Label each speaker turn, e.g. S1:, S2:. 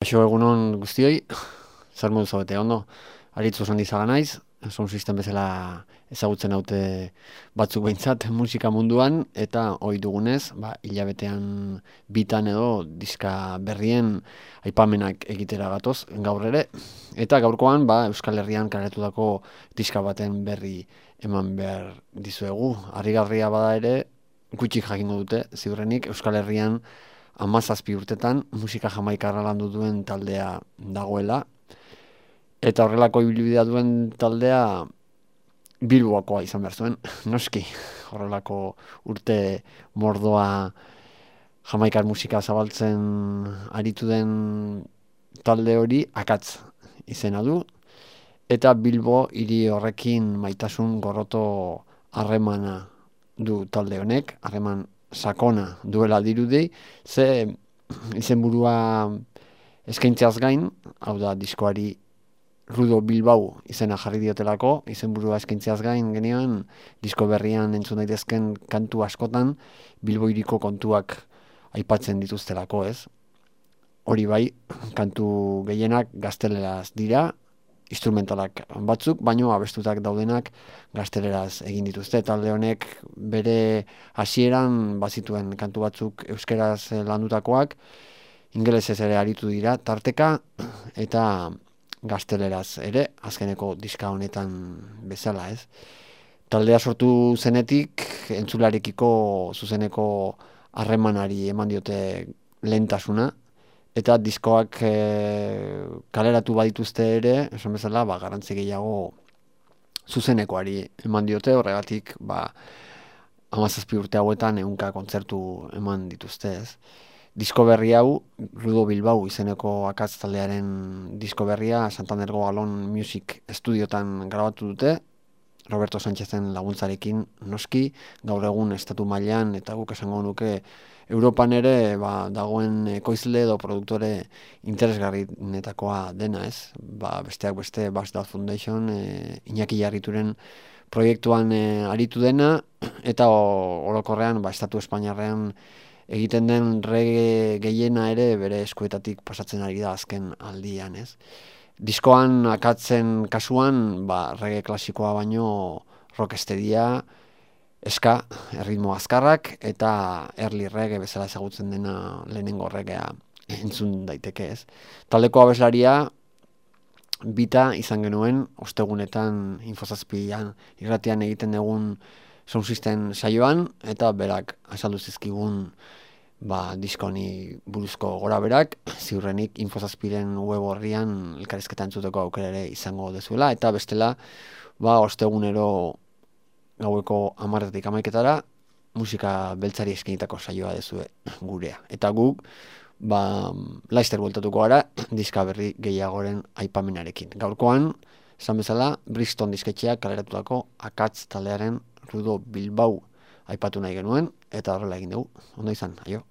S1: Kaixo egunon guztioi, zer modu zaudete ondo, aritzu Sandizaga naiz, sound system bezala ezagutzen haute batzuk behintzat musika munduan, eta ohi dugunez, hilabetean bitan edo diska berrien aipamenak egitera gatoz gaur ere, eta gaurkoan Euskal Herrian kaletutako diska baten berri eman behar dizuegu. Harrigarria bada ere, gutxik jakingo dute, ziurrenik Euskal Herrian 17 urtetan musika jamaikarra landu duen taldea dagoela, eta horrelako ibilbidea duen taldea Bilboakoa izan behar zuen, noski, horrelako urte mordoa jamaikar musika zabaltzen aritu den talde hori akatz izena du, eta Bilbo hiri horrekin maitasun gorroto harremana du talde honek, harreman sakona duela dirudi, ze izenburua eskaintzeaz gain, hau da diskoari Rudo Bilbao izena jarri diotelako, izenburua eskaintzeaz gain genioen disko berrian entzun daitezken kantu askotan Bilbo hiriko kontuak aipatzen dituztelako, ez? Hori bai, kantu gehienak gazteleraz dira, instrumentalak batzuk, baino abestutak daudenak gazteleraz egin dituzte. Talde honek bere hasieran bazituen kantu batzuk euskeraz landutakoak, ingelesez ere aritu dira tarteka, eta gazteleraz ere, azkeneko diska honetan bezala, ez? Taldea sortu zenetik, entzularekiko zuzeneko harremanari eman diote lehentasuna, eta diskoak kaleratu badituzte ere, esan bezala, garrantzi gehiago zuzenekoari eman diote, horregatik 17 urte hauetan 100 kontzertu eman dituzte, ez. Disko berri hau, Rudo Bilbao izeneko akatz taldearen disko berria, Santandergo Galon Music Studiotan grabatu dute, Roberto Sánchezen laguntzarekin noski, gaur egun estatu mailan eta guk esango nuke Europan ere dagoen ekoizle edo produktore interesgarrienetakoa dena, ez? Besteak beste Bass Dog Foundation, Iñaki Jarrituren proiektuan aritu dena, eta orokorrean estatu espainiarrean egiten den reggae gehiena ere bere eskuetatik pasatzen ari da azken aldian, ez? Diskoan akatzen kasuan, reggae klasikoa baino rocksteadia, ska, erritmo azkarrak, eta early reggae bezala ezagutzen dena lehenengo reggaea entzun daiteke, ez. Taldeko abeslaria bita izan genuen, ostegunetan Info7an irratian egiten dugun sound system saioan, eta berak azaldu zizkigun diskoni buruzko gora berak, ziurrenik Info7ren web horrian elkarrizketa entzuteko aukera ere izango dezuela, eta bestela, ostegunero gaueko 10:00 11:00 musika beltzari eskainitako saioa dezue gurea. Eta guk, laizter bueltatuko gara, diska berri gehiagoren aipamenarekin. Gaurkoan, esan bezala, Brixton disketxeak kaleratutako akatz taldearen Rudo Bilbao aipatu nahi genuen, eta horrela egin dugu. Ondo izan, aio.